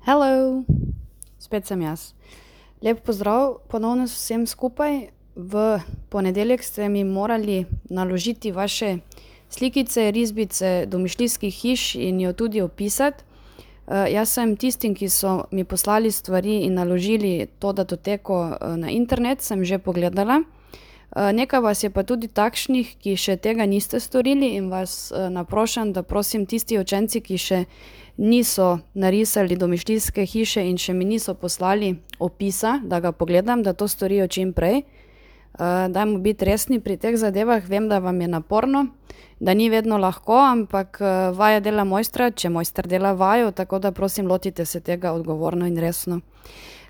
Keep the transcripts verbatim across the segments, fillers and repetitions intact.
Hello, spet sem jaz. Lep pozdrav ponovno vsem skupaj. V ponedeljek ste mi morali naložiti vaše slikice, risbice domišljijskih hiš in jo tudi opisati. jaz sem tistim, ki so mi poslali stvari in naložili to datoteko, na internet, sem že pogledala. nekaj vas je pa tudi takšnih, ki še tega niste storili in vas, naprošam, da prosim tisti učenci, ki še niso narisali domišljijske hiše in še mi niso poslali opisa, da ga pogledam, da to storijo čim prej. dajmo biti resni pri teh zadevah, vem, da vam je naporno, da ni vedno lahko, ampak, vaja dela mojstra, če mojster dela vajo, tako da prosim, lotite se tega odgovorno in resno.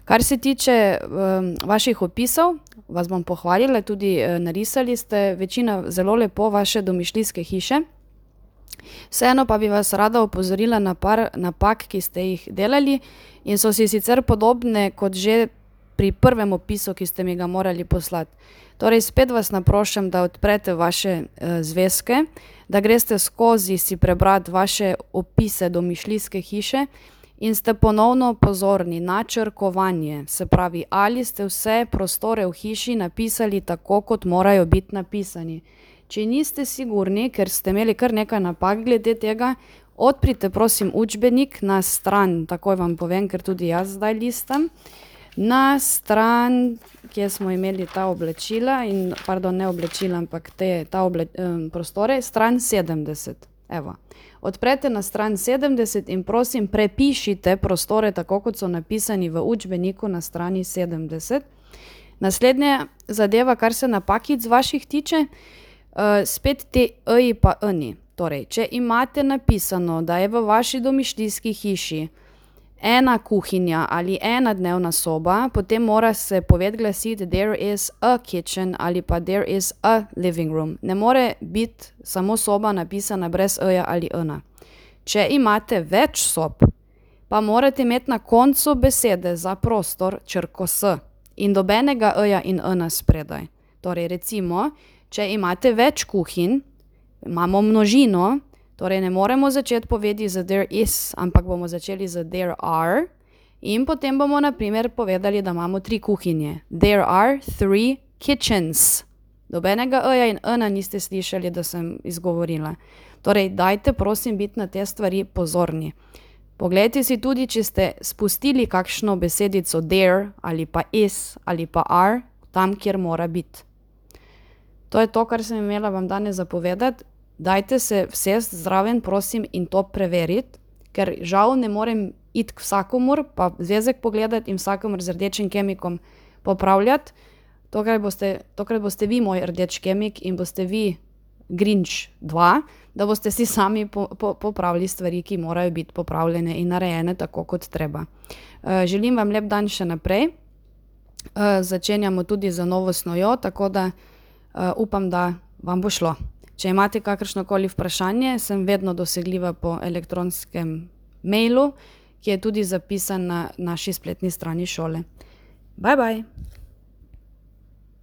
Kar se tiče, vaših opisov, vas bom pohvalila, tudi, narisali ste večina zelo lepo vaše domišljijske hiše. Vseeno pa bi vas rada opozorila na par napak, ki ste jih delali in so si sicer podobne kot že pri prvem opisu, ki ste mi ga morali poslati. Torej spet vas naprošam, da odprete vaše, zvezke, da greste skozi si prebrati vaše opise domišljijske hiše in ste ponovno pozorni na črkovanje. Se pravi, ali ste vse prostore v hiši napisali tako, kot morajo biti napisani. Če niste sigurni, ker ste imeli kar nekaj napak glede tega, odprite prosim učbenik na stran, takoj vam povem, ker tudi jaz zdaj listam, na stran, kje smo imeli ta oblačila in, pardon, ne oblačila, ampak te, ta prostore, stran sedemdeset. Evo. Odprete na stran sedemdeset in prosim prepišite prostore tako, kot so napisani v učbeniku na strani sedemdeset. Naslednja zadeva, kar se napakic vaših tiče, spet te e-ji pa e-ni. Torej, če imate napisano, da je v vaši domišljijski hiši ena kuhinja ali ena dnevna soba, potem mora se poved glasiti there is a kitchen ali pa there is a living room. Ne more biti samo soba napisana brez e-ja ali ena. Če imate več sob, pa morate imeti na koncu besede za prostor črko s in nobenega e-ja in ena spredaj. Torej recimo, če imate več kuhinj, imamo množino, torej ne moremo začeti povedi z there is, ampak bomo začeli z there are in potem bomo na primer povedali, da imamo tri kuhinje. There are three kitchens. Nobenega e-ja in ena niste slišali, da sem izgovorila. Torej, dajte prosim biti na te stvari pozorni. Poglejte si tudi, če ste spustili kakšno besedico there ali pa is ali pa are tam, kjer mora biti. To je to, kar sem imela vam danes za povedati. Dajte se usesti zraven, prosim, in to preveriti, ker žal ne morem iti k vsakomur pa zvezek pogledati in vsakomur z rdečim kemikom popravljati. Tokrat boste, tokrat boste vi moj rdeč kemik in boste vi Grinch dva, da boste si sami popravili stvari, ki morajo biti popravljene in narejene tako, kot treba. želim vam lep dan še naprej. začenjamo tudi z novo snovjo, tako da, upam, da vam bo šlo. Če imate kakršnokoli vprašanje, sem vedno dosegljiva po elektronskem mailu, ki je tudi zapisan na naši spletni strani šole. Bye, bye.